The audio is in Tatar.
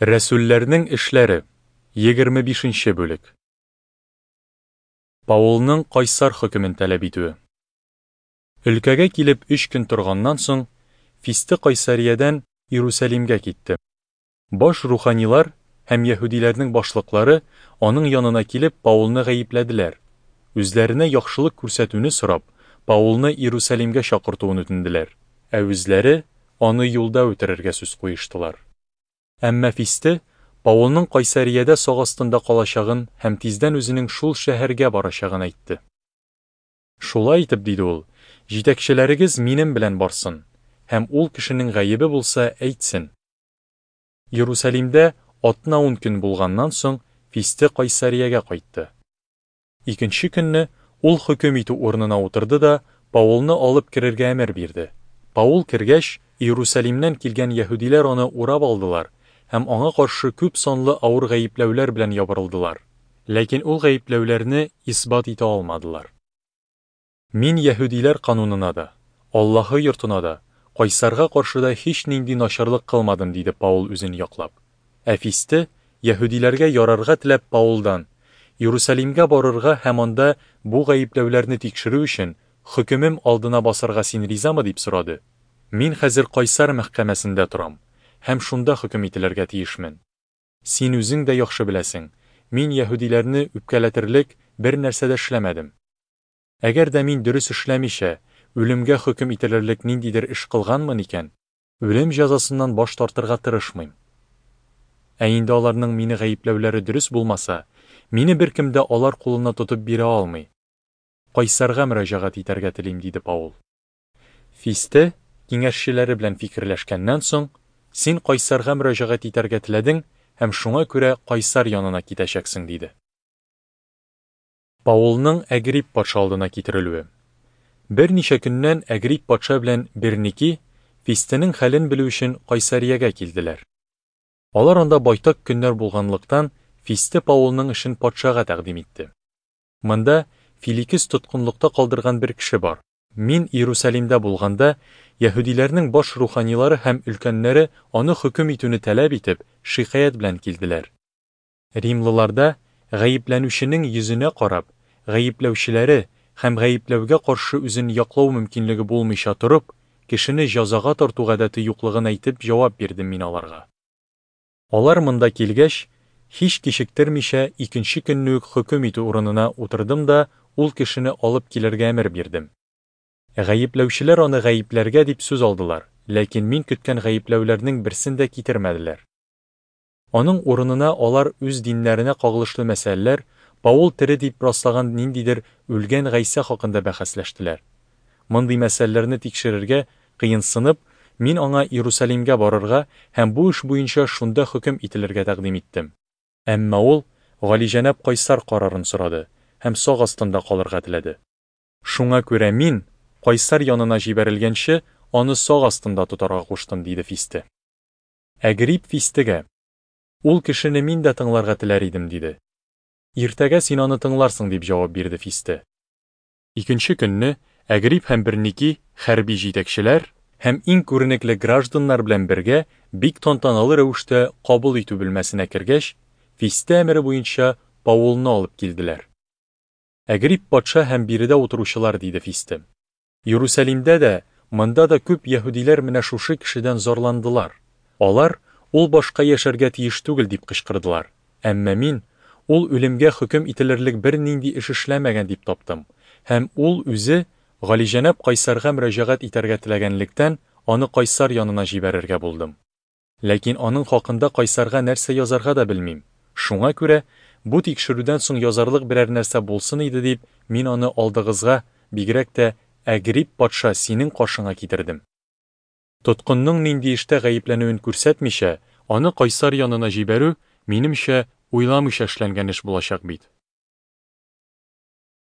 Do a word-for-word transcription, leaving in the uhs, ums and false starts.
Рәсүлләрнең эшләре, егерме бишенче бүлек. Паулның кайсар хөкемен таләп итүе. Өлкәгә килеп өч көн торганнан соң, Фисте Кайсариядән Иерусалимгә китте. Баш руханилар һәм яһүдиләрнең башлыклары аның янына килеп Паулны гаепләделәр. Үзләренә яхшылык күрсәтүне сорап, Паулны Иерусалимгә чакыртуын үтенделәр, ә үзләре аны юлда үтерергә сүз куештылар. Әмма Фисте Паулның Кайсариядә сак астында калачагын һәм тиздән үзенең шул шәһәргә барачагын әйтте. Шулай итеп, диде ул, җитәкчеләрегез минем белән барсын, һәм ул кешенең гаебе булса әйтсен. Иерусалимдә атна ун көн булганнан соң Фисте Кайсариягә кайтты. Икенче көнне ул хөкем итү урынына утырды да Паулны алып керергә әмер бирде. Паул кергәч, Иерусалимнән килгән яһүдиләр аны урап алдылар һәм аңа каршы күп санлы авыр гаепләүләр белән ябырылдылар. Ләкин ул гаепләүләрне исбат итә алмадылар. Мин яһүдиләр канунына да, Аллаһы йортына да, кайсарга каршы да һич нинди начарлык кылмадым, диде Паул үзен яклап. Ә Фисте яһүдиләргә ярарга теләп Паулдан Иерусалимгә барырга һәм анда бу гаепләүләрне тикшерү өчен хөкемем алдына басарга син ризамы дип сорады. Мин хәзер кайсар мәхкәмәсендә торам һәм шунда хөкем ителергә тиешмен. Син үзең дә яхшы беләсең, мин яһүдиләрне үпкәләтерлек бер нәрсә дә эшләмәдем. Әгәр дә мин дөрес эшләмичә, үлемгә хөкем ителерлек ниндидер эш кылганмын икән, үлем җәзасыннан баш тартырга тырышмыйм. Ә инде аларның мине гаепләүләре дөрес булмаса, мине беркем дә алар кулына тотып бирә алмый. Кайсарга мөрәҗәгать итәргә телим, диде Паул. Фисте киңәшчеләре белән фикерләшкәннән соң, син кайсарга мөрәҗәгать итәргә теләдең һәм шуңа күрә кайсар янына китәчәксең, диде. Паулның Әгрип патша алдына китерелүе. Берничә көннән Әгрип патша белән Берники Фистенең хәлен белү өчен Кайсариягә килделәр. Алар анда байтак көннәр булганлыктан, Фисте Паулның эшен патшага тәкъдим итте. Монда Филикес тоткынлыкта калдырган бер кеше бар. Мин Иерусалимдә булганда, яһүдиләрнең баш руханилары һәм өлкәннәре аны хөкем итүне таләп итеп, шикаять белән килделәр. Римлыларда гаепләнүченең йөзенә карап, гаепләүчеләре һәм гаепләүгә каршы үзен яклау мөмкинлеге булмыйча торып, кешене җәзага тарту гадәте юклыгын әйтеп җавап бирдем мин аларга. Алар монда килгәч, һич кичектермичә икенче көнне үк хөкем итү урынына утырдым да ул кешене алып килергә әмер бирдем. Гаепләүчеләр аны гаепләргә дип сүз алдылар, ләкин мин көткән гаепләүләрнең берсен дә китермәделәр. Аның урынына алар үз диннәренә кагылышлы мәсьәләләр, Паул тере дип раслаган ниндидер үлгән Гайсә хакында бәхәсләштеләр. Мондый мәсьәләләрне тикшерергә кыенсынып, мин аңа Иерусалимгә барырга һәм бу эш буенча шунда хөкем ителергә тәкъдим иттем. Әмма ул галиҗәнап кайсар карарын сорады һәм сак астында калырга теләде. Шуңа күрә мин кайсар янына җибәрелгәнче аны сак астында тотарга куштым, диде Фисте. Әгрип Фистегә: "Ул кешене мин дә тыңларга теләр идем", диде. "Иртәгә син аны тыңларсың", дип җавап бирде Фисте. Икенче көнне Әгрип һәм Берники хәрби җитәкчеләр һәм иң күренекле гражданнар белән бергә бик тантаналы рәвештә кабул итү бүлмәсенә кергәч, Фисте әмере буенча Паулны алып килделәр. Әгрип патша һәм биредә утыручылар, диде Фисте. Иерусалимдә дә, монда да күп яһүдиләр менә шушы кешедән зарландылар. Алар ул башка яшәргә тиеш түгел дип кычкырдылар. Әмма мин ул үлемгә хөкем ителерлек бернинди эш эшләмәгән дип таптым. Һәм ул үзе галиҗәнап кайсарга мөрәҗәгать итәргә теләгәнлектән аны кайсар янына җибәрергә булдым. Ләкин аның хакында кайсарга нәрсә язарга да белмим. Шуңа күрә бу тикшерүдән соң язарлык берәр нәрсә булсын иде дип, мин аны алдыгызга, бигрәк тә Әгрип патша синең каршыңа китердем. Тоткынның нинди эштә гаепләнүен күрсәтмичә, аны кайсар янына җибәрү, минемчә, уйламыйча эшләнгән эш булачак бит.